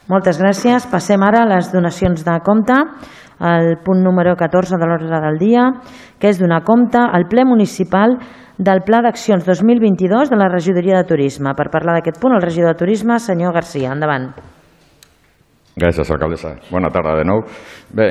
Moltes gràcies. Passem ara a les donacions de compte. El punt número 14 de l'ordre del dia, que és donar compte al ple municipal del Pla d'Accions 2022 de la Regidoria de Turisme. Per parlar d'aquest punt, el regidor de Turisme, senyor Garcia. Endavant. Gràcies, alcaldessa. Bona tarda de nou. Bé,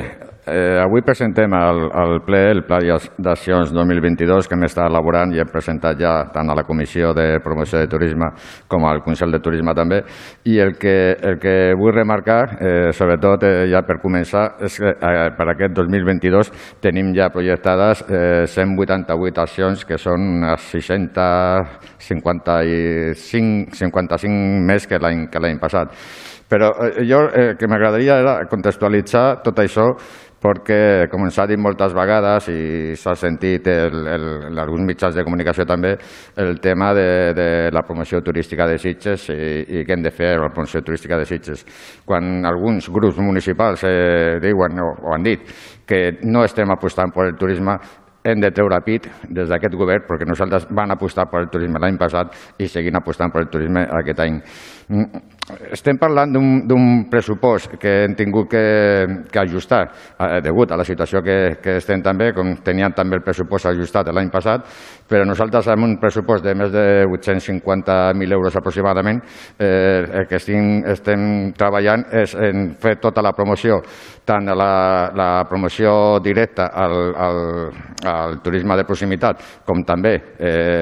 avui presentem al ple el Pla d'Accions 2022 que hem estat elaborant i hem presentat ja tant a la Comissió de Promoció de Turisme com al Consell de Turisme també. I el que vull remarcar, sobretot ja per començar, és que per aquest 2022 tenim ja projectades 188 accions que són unes 55 més que l'any passat. Però jo que m'agradaria era contextualitzar tot això perquè, com ens ha dit moltes vegades i s'ha sentit en alguns mitjans de comunicació també, el tema de la promoció turística de Sitges i què hem de fer amb la promoció turística de Sitges. Quan alguns grups municipals diuen o han dit que no estem apostant per el turisme, hem de treure pit des d'aquest govern perquè nosaltres vam apostar per el turisme l'any passat i seguim apostant per el turisme aquest any. Estem parlant d'un pressupost que hem tingut que ajustar degut a la situació que estem també, com teníem també el pressupost ajustat l'any passat, però nosaltres amb un pressupost de més de 850.000 euros aproximadament el que estem treballant és en fer tota la promoció, tant la promoció directa al turisme de proximitat com també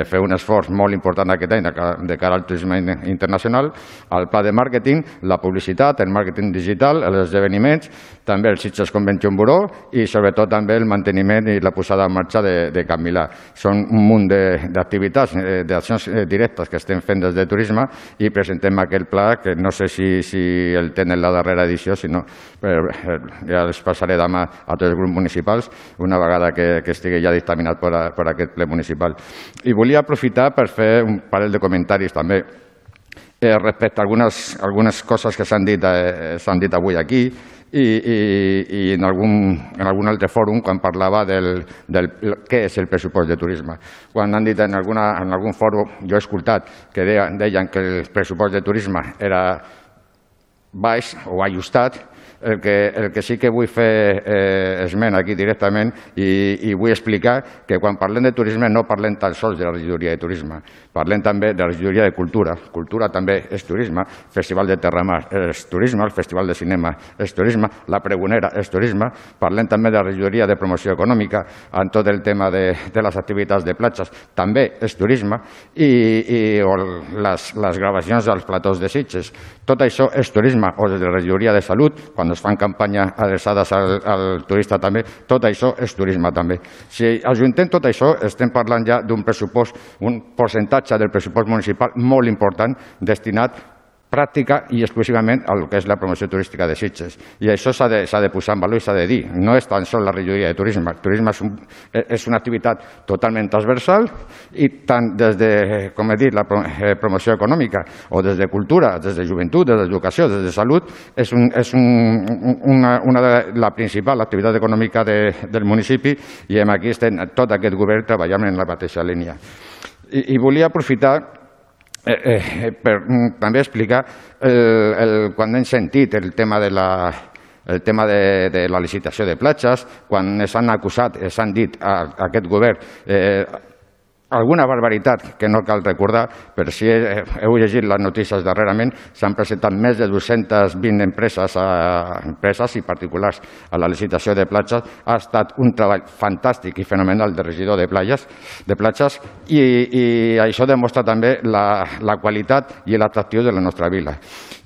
fer un esforç molt important aquest any de cara al turisme internacional, al pla de màrqueting, la publicitat, el màrqueting digital, els esdeveniments, també el Sitges Convention Bureau i sobretot també el manteniment i la posada en marxa de Can Milà. Són un munt d'activitats, d'accions directes que estem fent des de turisme i presentem aquest pla que no sé si el tenen la darrera edició, sinó ja els passaré demà a tots els grups municipals una vegada que estigui ja dictaminat per aquest ple municipal. I volia aprofitar per fer un parell de comentaris també respecte a algunes coses que s'han dit avui aquí i en algun altre fòrum quan parlava del què és el pressupost de turisme. Quan han dit en algun fòrum, jo he escoltat que deien que el pressupost de turisme era baix o ajustat. El que sí que vull fer esment aquí directament i vull explicar que quan parlem de turisme no parlem tan sols de la regidoria de turisme, parlem també de la regidoria de cultura. Cultura també és turisme, Festival de Terramar és turisme, el Festival de Cinema és turisme, la Pregonera és turisme, parlem també de la regidoria de promoció econòmica en tot el tema de les activitats de platges, també és turisme, i les gravacions dels platós de Sitges. Tot això és turisme, o des de la regidoria de salut, quan es fan campanyes adreçades al turista també, tot això és turisme també. Si ajuntem tot això, estem parlant ja d'un pressupost, un percentatge del pressupost municipal molt important destinat pràctica i exclusivament al que és la promoció turística de Sitges. I això s'ha de posar en valor i s'ha de dir. No és tan sols la regidoria de turisme. El turisme és una activitat totalment transversal i tant des de, com he dit, la promoció econòmica o des de cultura, des de joventut, des d'educació, des de salut, és la principal activitat econòmica del municipi i aquí estem tot aquest govern treballant en la mateixa línia. I volia aprofitar per també explicar quan hem sentit el tema de la licitació de platges, quan s'han acusat, s'han dit a aquest govern alguna barbaritat que no cal recordar, però si heu llegit les notícies darrerament, s'han presentat més de 220 empreses i particulars a la licitació de platges. Ha estat un treball fantàstic i fenomenal de regidor de platges i això demostra també la qualitat i l'atractiu de la nostra vila.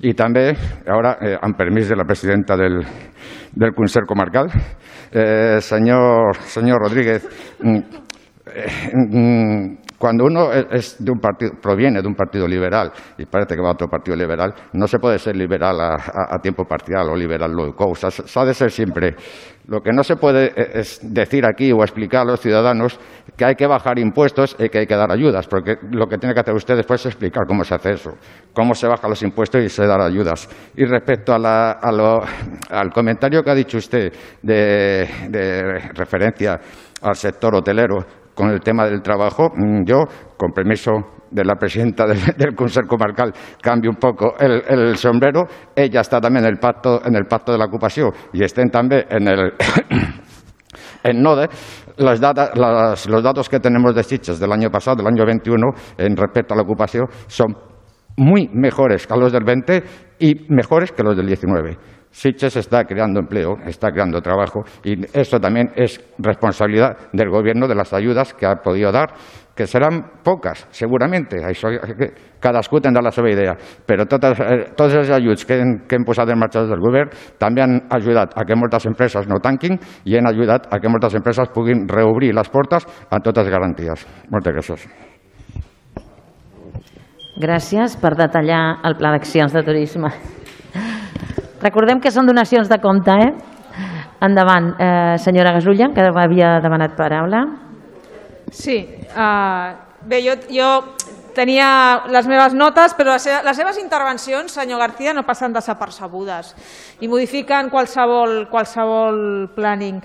I també, ara, amb permís de la presidenta del Consell Comarcal, senyor Rodríguez, cuando uno proviene de un partido liberal y parece que va a otro partido liberal, no se puede ser liberal a tiempo parcial o liberal loco. O sea, se ha de ser siempre. Lo que no se puede es decir aquí o explicar a los ciudadanos que hay que bajar impuestos y que hay que dar ayudas, porque lo que tiene que hacer usted después es explicar cómo se hace eso, cómo se bajan los impuestos y se dan ayudas. Y respecto al comentario que ha dicho usted de referencia al sector hotelero, con el tema del trabajo, yo, con permiso de la presidenta del Consell Comarcal canvi un poco el sombrero, ella està també en el pacto de l'ocupació i estem també en NODE. Los datos que tenemos de Sitges del año pasado, del año 21, en respecto a la ocupación, son muy mejores que los del 20 y mejores que los del 19. Sitges está creando empleo, está creando trabajo y eso también es responsabilidad del Gobierno, de las ayudas que ha podido dar, que serán pocas, seguramente, cadascú tindrà la seva idea, però tots els ajuts que hem posat en marxa des del Govern també han ajudat a que moltes empreses no tanquin i han ajudat a que moltes empreses puguin reobrir les portes amb totes les garanties. Moltes gràcies. Gràcies per detallar el pla d'accions de turisme. Recordem que són donacions de compte, Endavant, senyora Gasulla, que havia demanat paraula. Sí, bé, jo tenia les meves notes, però les seves intervencions, senyor García, no passen desapercebudes i modifiquen qualsevol planning.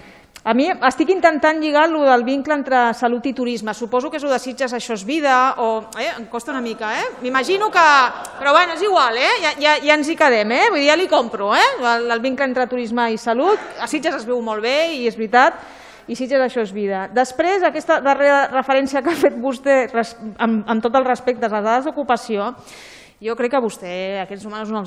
A mi estic intentant lligar el del vincle entre salut i turisme. Suposo que és el de Sitges, això és vida, em costa una mica, M'imagino que... Però bueno, és igual, ja ens hi quedem, Vull dir, ja li compro, el vincle entre turisme i salut. A Sitges es veu molt bé i és veritat, i Sitges això és vida. Després, aquesta darrera referència que ha fet vostè, amb tot el respecte a les dades d'ocupació, jo crec que vostè aquests números no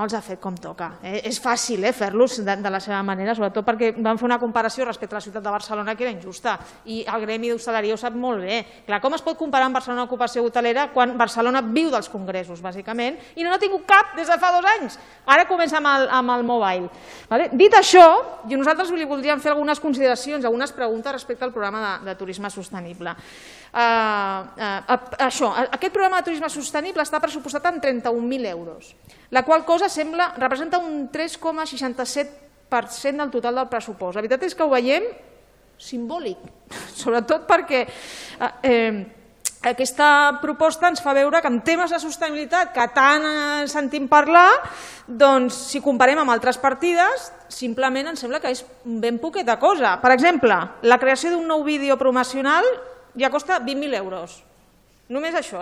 els ha fet com toca. És fàcil fer-los de la seva manera, sobretot perquè van fer una comparació respecte a la ciutat de Barcelona que era injusta i el gremi d'hostaleria ho sap molt bé. Clar, com es pot comparar amb Barcelona ocupació hotelera quan Barcelona viu dels congressos, bàsicament, i no n'ha tingut cap des de fa 2 anys? Ara comença amb el mobile. Dit això, nosaltres li voldríem fer algunes consideracions, algunes preguntes respecte al programa de turisme sostenible. Aquest programa de turisme sostenible està pressupostat en 31.000 euros, la qual cosa representa un 3,67% del total del pressupost. La veritat és que ho veiem simbòlic, sobretot perquè aquesta proposta ens fa veure que en temes de sostenibilitat que tant sentim parlar, doncs si comparem amb altres partides, simplement ens sembla que és ben poqueta cosa. Per exemple, la creació d'un nou vídeo promocional ja costa 20.000 euros. Només això,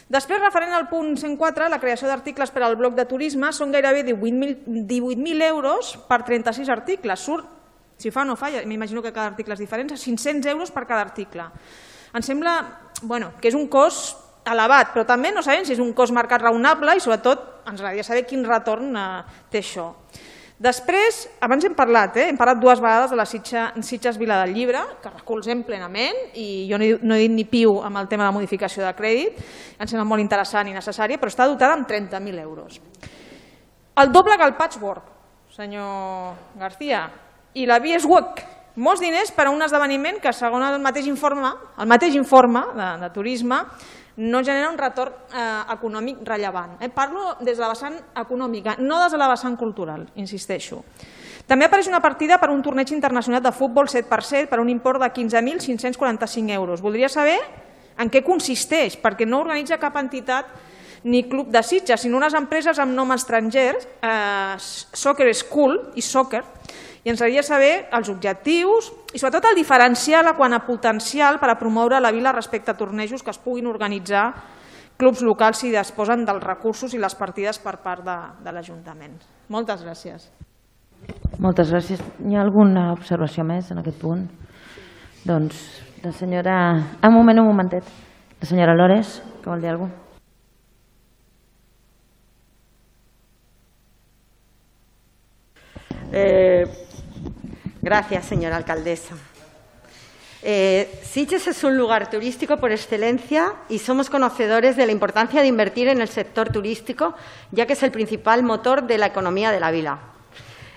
Després, referent al punt 104, la creació d'articles per al bloc de turisme són gairebé 18.000 euros per 36 articles. Surt, si fa o no fa, m'imagino que cada article és diferent, 500 euros per cada article. Ens sembla que és un cost elevat, però també no sabem si és un cost marcat raonable i sobretot ens agradaria saber quin retorn té això. Després, abans hem parlat 2 vegades de la Sitges Vila del Llibre, que recolzem plenament, i jo no he dit ni piu amb el tema de la modificació de crèdit, em sembla molt interessant i necessària, però està dotada amb 30.000 euros. El doble que el Patchwork, senyor García, i la Bieswalk, molts diners per a un esdeveniment que, segons el mateix informe de turisme, no genera un retorn econòmic rellevant. Parlo des de la vessant econòmica, no des de la vessant cultural, insisteixo. També apareix una partida per un torneig internacional de futbol 7x7 per un import de 15.545 euros. Voldria saber en què consisteix, perquè no organitza cap entitat ni club de Sitges, sinó unes empreses amb nom estranger, Soccer School i Soccer, i ens agradaria saber els objectius i sobretot el diferencial quant a potencial per a promoure la vila respecte a tornejos que es puguin organitzar clubs locals si disposen dels recursos i les partides per part de l'Ajuntament. Moltes gràcies. Moltes gràcies. Hi ha alguna observació més en aquest punt? Doncs la senyora... Un momentet. La senyora Lores, que vol dir alguna cosa? Gracias, señora alcaldesa. Sitges es un lugar turístico por excelencia y somos conocedores de la importancia de invertir en el sector turístico, ya que es el principal motor de la economía de la vila.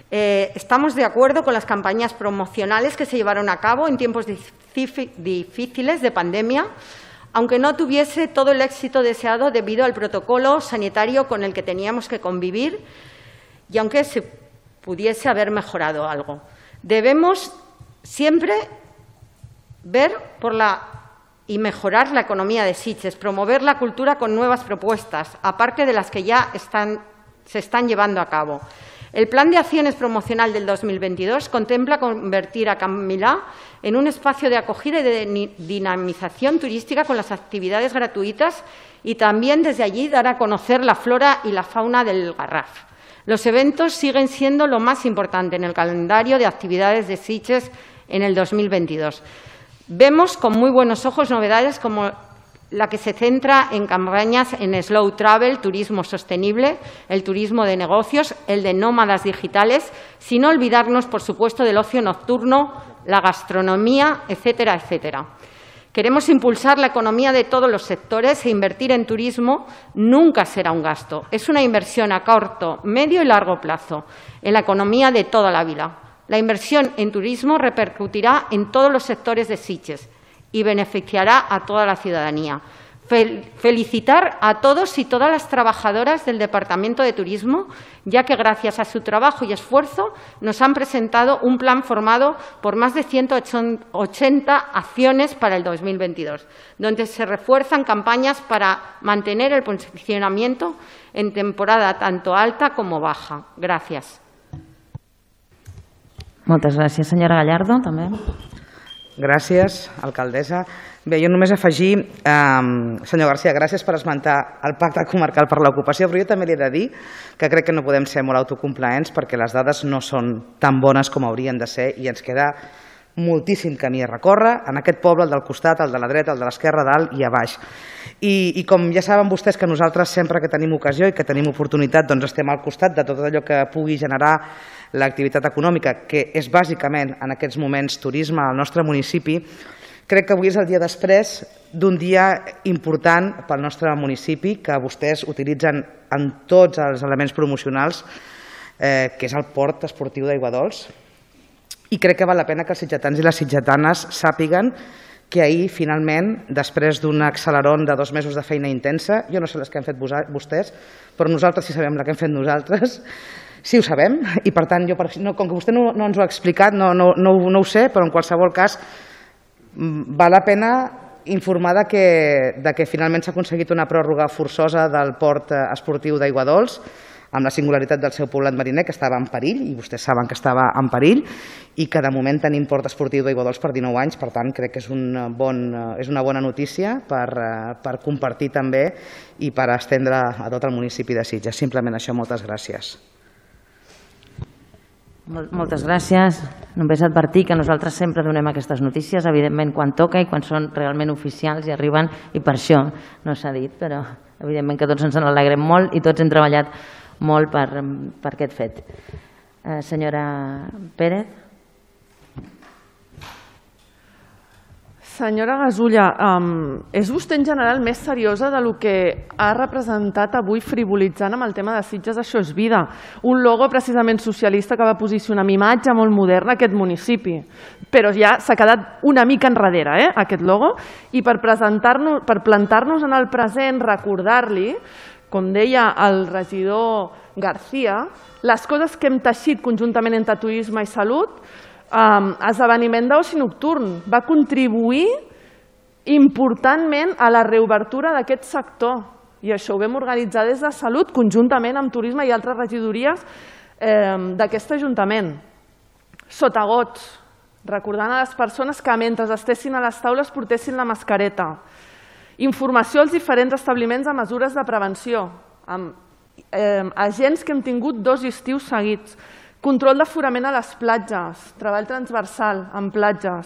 Estamos de acuerdo con las campañas promocionales que se llevaron a cabo en tiempos difíciles de pandemia, aunque no tuviese todo el éxito deseado debido al protocolo sanitario con el que teníamos que convivir y aunque se pudiese haber mejorado algo. Debemos siempre ver y mejorar la economía de Sitges, promover la cultura con nuevas propuestas, aparte de las que ya se están llevando a cabo. El Plan de Acciones Promocional del 2022 contempla convertir a Can Milà en un espacio de acogida y de dinamización turística con las actividades gratuitas y también desde allí dar a conocer la flora y la fauna del Garraf. Los eventos siguen siendo lo más importante en el calendario de actividades de Sitges en el 2022. Vemos con muy buenos ojos novedades como la que se centra en campañas en slow travel, turismo sostenible, el turismo de negocios, el de nómadas digitales, sin olvidarnos, por supuesto, del ocio nocturno, la gastronomía, etcétera, etcétera. Queremos impulsar la economía de todos los sectores e invertir en turismo nunca será un gasto. Es una inversión a corto, medio y largo plazo en la economía de toda la vila. La inversión en turismo repercutirá en todos los sectores de Sitges y beneficiará a toda la ciudadanía. Felicitar a todos y todas las trabajadoras del Departamento de Turismo, ya que gracias a su trabajo y esfuerzo nos han presentado un plan formado por más de 180 acciones para el 2022, donde se refuerzan campañas para mantener el posicionamiento en temporada tanto alta como baja. Gràcies. Moltes gràcies. Senyora Gallardo, també. Gràcies, alcaldessa. Bé, jo només afegir, senyor García, gràcies per esmentar el pacte comarcal per l'ocupació, però jo també li he de dir que crec que no podem ser molt autocomplaents perquè les dades no són tan bones com haurien de ser i ens queda moltíssim camí a recórrer en aquest poble, el del costat, el de la dreta, el de l'esquerra, dalt i a baix. I com ja saben vostès que nosaltres sempre que tenim ocasió i que tenim oportunitat doncs estem al costat de tot allò que pugui generar l'activitat econòmica, que és bàsicament en aquests moments turisme al nostre municipi, crec que avui és el dia després d'un dia important pel nostre municipi que vostès utilitzen en tots els elements promocionals, que és el port esportiu d'Aiguadols. I crec que val la pena que els sitgetans i les sitgetanes sàpiguen que ahir, finalment, després d'un accelerón de 2 mesos de feina intensa, jo no sé les que han fet vostès, però nosaltres sí sabem la que hem fet nosaltres, sí ho sabem, i per tant, com que vostè no ens ho ha explicat, no ho sé, però en qualsevol cas val la pena informar que finalment s'ha aconseguit una pròrroga forçosa del port esportiu d'Aiguadols, amb la singularitat del seu poblat mariner, que estava en perill, i vostès saben que estava en perill, i que de moment tenim port esportiu d'Aiguadols per 19 anys, per tant crec que és una bona notícia per compartir també i per estendre a tot el municipi de Sitges. Simplement això, moltes gràcies. Moltes gràcies. Només advertir que nosaltres sempre donem aquestes notícies, evidentment quan toca i quan són realment oficials i arriben, i per això no s'ha dit, però evidentment que tots ens en alegrem molt i tots hem treballat molt per aquest fet. Senyora Pérez. Senyora Gasulla, és vostè en general més seriosa del que ha representat avui frivolitzant amb el tema de Sitges Això és Vida, un logo precisament socialista que va posicionar amb imatge molt moderna aquest municipi, però ja s'ha quedat una mica enrere aquest logo, i per plantar-nos en el present, recordar-li, com deia el regidor García, les coses que hem teixit conjuntament entre turisme i salut. Esdeveniment d'oci nocturn va contribuir importantment a la reobertura d'aquest sector, i això ho vam organitzar des de Salut conjuntament amb Turisme i altres regidories d'aquest Ajuntament. Sotagots, recordant a les persones que mentre estessin a les taules portessin la mascareta. Informació als diferents establiments de mesures de prevenció, amb agents que hem tingut 2 estius seguits. Control d'aforament a les platges, treball transversal en platges,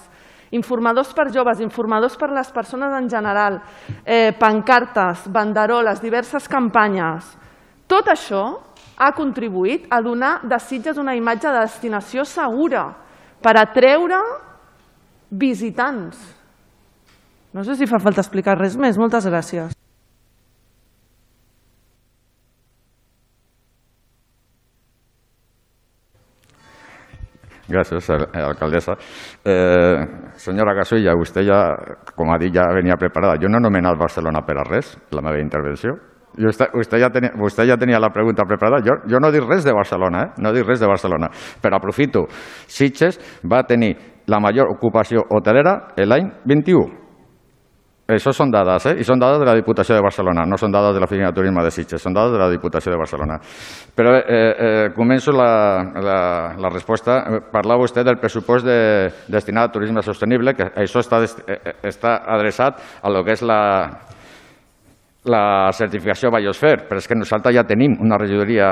informadors per joves, informadors per les persones en general, pancartes, banderoles, diverses campanyes. Tot això ha contribuït a donar de Sitges una imatge de destinació segura per atreure visitants. No sé si fa falta explicar res més. Moltes gràcies. Gràcies, alcaldessa. Senyora Gasulla, vostè ja, com ha dit, ja venia preparada. Jo no he anomenat Barcelona per a res, la meva intervenció. Vostè ja tenia la pregunta preparada. Jo no dic res de Barcelona, no dic res de Barcelona, però aprofito. Sitges va tenir la major ocupació hotelera l'any 21. Això són dades, i són dades de la Diputació de Barcelona, no són dades de l'Oficina de Turisme de Sitges, són dades de la Diputació de Barcelona. Però començo la resposta. Parlava vostè del pressupost destinat a turisme sostenible, que això està adreçat a lo que és la certificació Biosphere, però és que nosaltres ja tenim una regidoria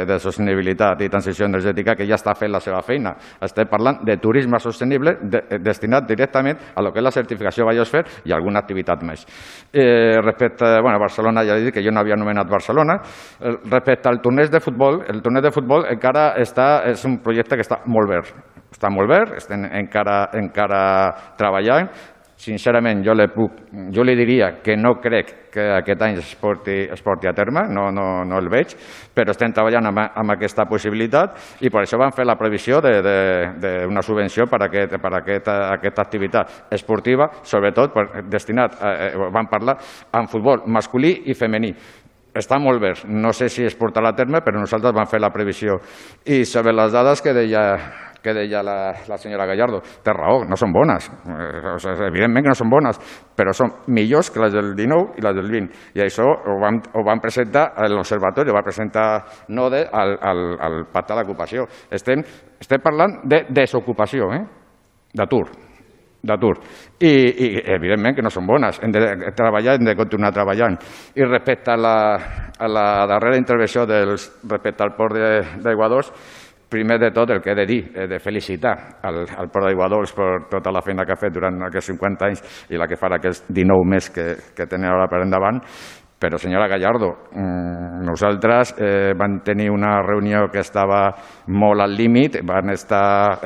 de sostenibilitat i transició energètica que ja està fent la seva feina. Estem parlant de turisme sostenible destinat directament a lo que és la certificació Biosphere i alguna activitat més. Respecte a Barcelona, ja he dit que jo no havia anomenat Barcelona. Respecte al torneig de futbol, el torneig de futbol encara és un projecte que està molt verd. Està molt verd, estem encara treballant. Sincerament, jo li diria que no crec que aquest any es porti a terme, no el veig, però estem treballant amb aquesta possibilitat i per això vam fer la previsió d'una subvenció per a aquesta activitat esportiva, sobretot destinat, vam parlar, en futbol masculí i femení. Està molt bé, no sé si es portarà a terme, però nosaltres vam fer la previsió. I sobre les dades que deia la senyora Gallardo, té raó, no són bones, evidentment que no són bones, però són millors que les del 19 i les del 20. I això ho van presentar a l'Observatori, ho va presentar NODE al Pacte de l'Ocupació. Estem parlant de desocupació, d'atur. I evidentment que no són bones, hem de treballar, hem de continuar treballant. I respecte a la darrera intervenció respecte al port d'Aiguadols, primer de tot el que he de dir, de felicitar al Port d'Aiguadols per tota la feina que ha fet durant aquests 50 anys i la que farà aquests 19 més que tenen ara per endavant. Però, senyora Gallardo, nosaltres vam tenir una reunió que estava molt al límit, van estar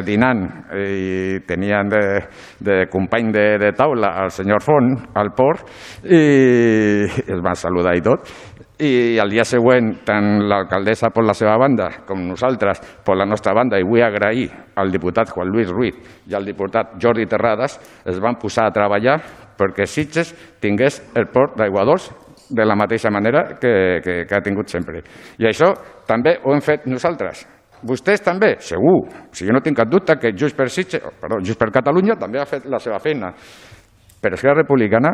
dinant i tenien de company de taula el senyor Font al port i els van saludar i tot. I el dia següent, tant l'alcaldessa per la seva banda com nosaltres per la nostra banda, i vull agrair al diputat Juan Luis Ruiz i al diputat Jordi Terrades, es van posar a treballar perquè Sitges tingués el port d'Aiguadols de la mateixa manera que ha tingut sempre. I això també ho hem fet nosaltres. Vostès també, segur. Jo no tinc cap dubte que Junts per Catalunya també ha fet la seva feina. Però Esquerra Republicana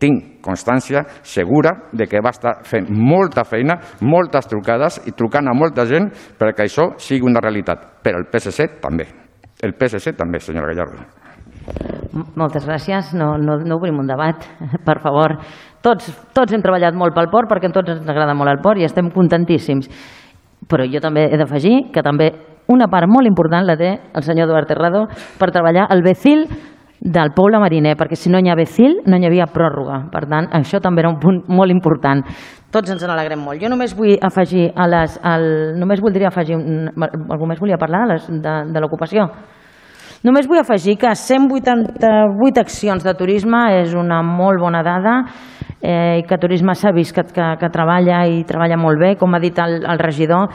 tinc constància segura de que va estar fent molta feina, moltes trucades i trucant a molta gent perquè això sigui una realitat. Però el PSC també. El PSC també, senyora Gallardo. Moltes gràcies. No obrim un debat, per favor. Tots hem treballat molt pel port perquè a tots ens agrada molt el port i estem contentíssims. Però jo també he d'afegir que també una part molt important la té el senyor Eduard Terrado per treballar el BECIL del poble mariner, perquè si no hi ha BECIL no hi havia pròrroga. Per tant, això també era un punt molt important. Tots ens n'alegrem molt. Jo només vull afegir només voldria afegir algú més volia parlar de l'ocupació. Només vull afegir que 188 accions de turisme és una molt bona dada i que turisme s'ha vist que treballa i treballa molt bé, com ha dit el regidor.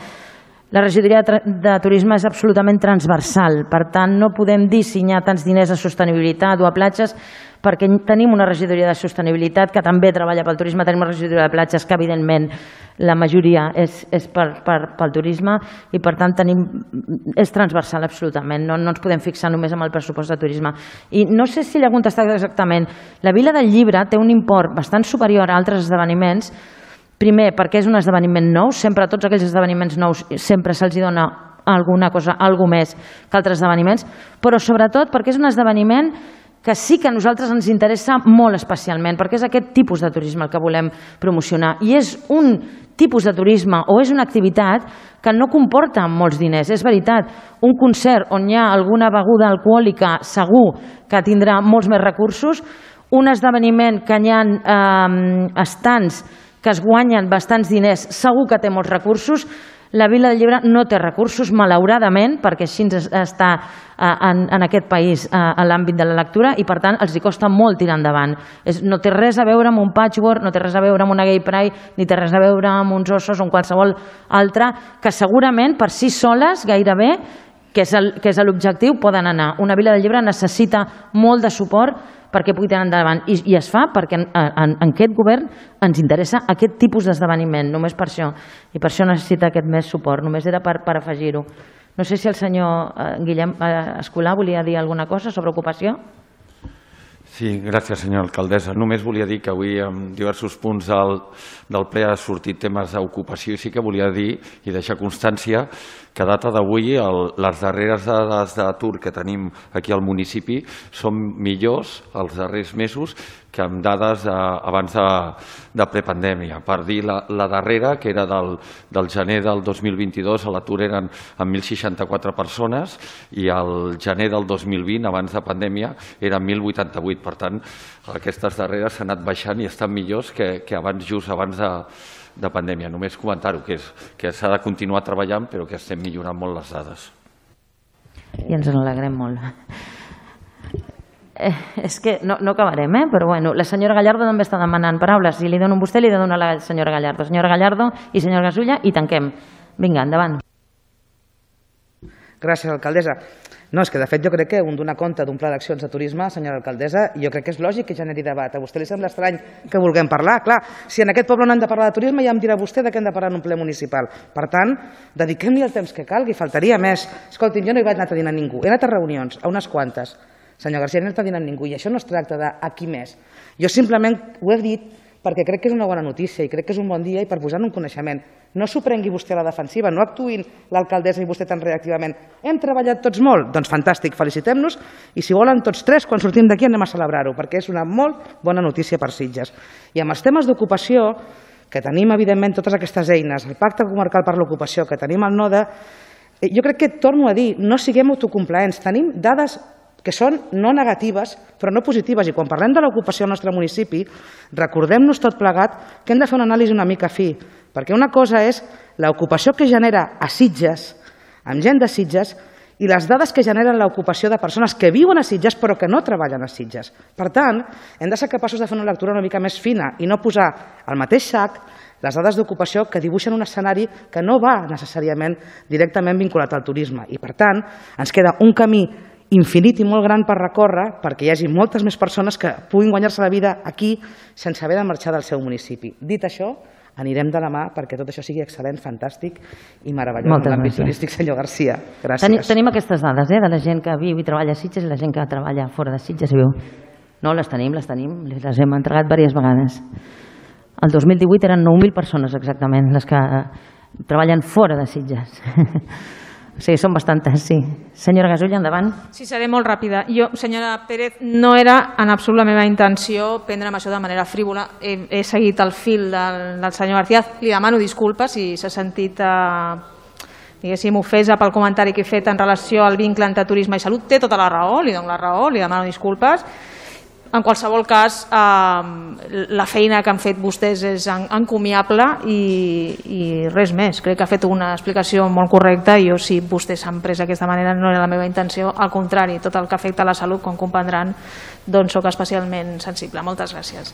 La regidoria de turisme és absolutament transversal, per tant no podem dissenyar tants diners a sostenibilitat o a platges perquè tenim una regidoria de sostenibilitat que també treballa pel turisme, tenim una regidoria de platges que evidentment la majoria és pel turisme i per tant és transversal absolutament, no ens podem fixar només en el pressupost de turisme. I no sé si l'ha contestat exactament, la Vila del Llibre té un import bastant superior a altres esdeveniments. Primer, perquè és un esdeveniment nou, sempre a tots aquells esdeveniments nous sempre se'ls dona alguna cosa, alguna més que altres esdeveniments, però sobretot perquè és un esdeveniment que sí que a nosaltres ens interessa molt especialment, perquè és aquest tipus de turisme el que volem promocionar. I és un tipus de turisme o és una activitat que no comporta molts diners. És veritat, un concert on hi ha alguna beguda alcohòlica segur que tindrà molts més recursos, un esdeveniment que hi ha estants que es guanyen bastants diners, segur que té molts recursos. La Vila del Llibre no té recursos, malauradament, perquè així està en aquest país a l'àmbit de la lectura i, per tant, els hi costa molt tirar endavant. No té res a veure amb un patchwork, no té res a veure amb una gay pride, ni té res a veure amb uns ossos o amb qualsevol altra, que segurament per si soles, gairebé, que és l'objectiu, poden anar. Una Vila del Llibre necessita molt de suport perquè pugui tirar endavant. I es fa perquè en aquest govern ens interessa aquest tipus d'esdeveniment, només per això. I per això necessita aquest més suport. Només era per afegir-ho. No sé si el senyor Guillem Escolà volia dir alguna cosa sobre ocupació. Sí, gràcies, senyora alcaldessa. Només volia dir que avui en diversos punts del ple ha sortit temes d'ocupació i sí que volia dir i deixar constància que a data d'avui les darreres dades d'atur que tenim aquí al municipi són millors els darrers mesos que amb dades abans de prepandèmia. Per dir la darrera, que era del gener del 2022, a l'atur eren amb 1.064 persones i el gener del 2020, abans de pandèmia, eren 1.088. Per tant, aquestes darreres s'han anat baixant i estan millors que abans, just abans de pandèmia. Només comentar-ho, que s'ha de continuar treballant, però que estem millorant molt les dades. I ens en alegrem molt. És que no acabarem, però bueno, la senyora Gallardo també està demanant paraules. Si li dono a vostè, li dono a la senyora Gallardo. Senyora Gallardo i senyora Gasulla, i tanquem. Vinga, endavant. Gràcies, alcaldessa. No, és que de fet jo crec que un donar compte d'un pla d'accions de turisme, senyora alcaldessa, jo crec que és lògic que generi debat. A vostè li sembla estrany que vulguem parlar? Clar, si en aquest poble no hem de parlar de turisme, ja em dirà vostè de què hem de parlar en un ple municipal. Per tant, dediquem-li el temps que calgui, faltaria més. Escolti'm, jo no he anat a dinar a ningú, he anat a reunions, a unes quantes. Senyor García, no he anat a dinar amb ningú i això no es tracta d'aquí més. Jo simplement ho he dit perquè crec que és una bona notícia i crec que és un bon dia i per posar-ne un coneixement. No s'ho prengui vostè a la defensiva, no actuïn l'alcaldessa i vostè tan reactivament. Hem treballat tots molt? Doncs fantàstic, felicitem-nos i si volen tots tres, quan sortim d'aquí anem a celebrar-ho perquè és una molt bona notícia per Sitges. I amb els temes d'ocupació, que tenim evidentment totes aquestes eines, el pacte comarcal per l'ocupació, que tenim el NODE, jo crec que, torno a dir, no siguem autocomplaents, tenim dades que són no negatives, però no positives. I quan parlem de l'ocupació al nostre municipi, recordem-nos tot plegat que hem de fer una anàlisi una mica fi, perquè una cosa és l'ocupació que genera a Sitges, amb gent de Sitges, i les dades que generen l'ocupació de persones que viuen a Sitges però que no treballen a Sitges. Per tant, hem de ser capaços de fer una lectura una mica més fina i no posar al mateix sac les dades d'ocupació que dibuixen un escenari que no va necessàriament directament vinculat al turisme. I per tant, ens queda un camí infinit i molt gran per recórrer perquè hi hagi moltes més persones que puguin guanyar-se la vida aquí sense haver de marxar del seu municipi. Dit això, anirem de la mà perquè tot això sigui excel·lent, fantàstic i meravellós en l'àmbit turístic, senyor García. Gràcies. Tenim aquestes dades de la gent que viu i treballa a Sitges i la gent que treballa fora de Sitges i viu. No, les tenim, les hem entregat diverses vegades. El 2018 eren 9.000 persones exactament les que treballen fora de Sitges. Sí, són bastantes, sí. Senyora Gasulla, endavant. Sí, seré molt ràpida. Jo, senyora Pérez, no era en absolut la meva intenció prendre'm això de manera frívola. He seguit el fil del senyor García. Li demano disculpes si s'ha sentit diguéssim, ofesa pel comentari que he fet en relació al vincle entre turisme i salut. Té tota la raó, li dono la raó, li demano disculpes. En qualsevol cas, la feina que han fet vostès és encomiable i res més. Crec que ha fet una explicació molt correcta i jo, si vostès s'han pres d'aquesta manera, no era la meva intenció. Al contrari, tot el que afecta a la salut, com comprendran, doncs soc especialment sensible. Moltes gràcies.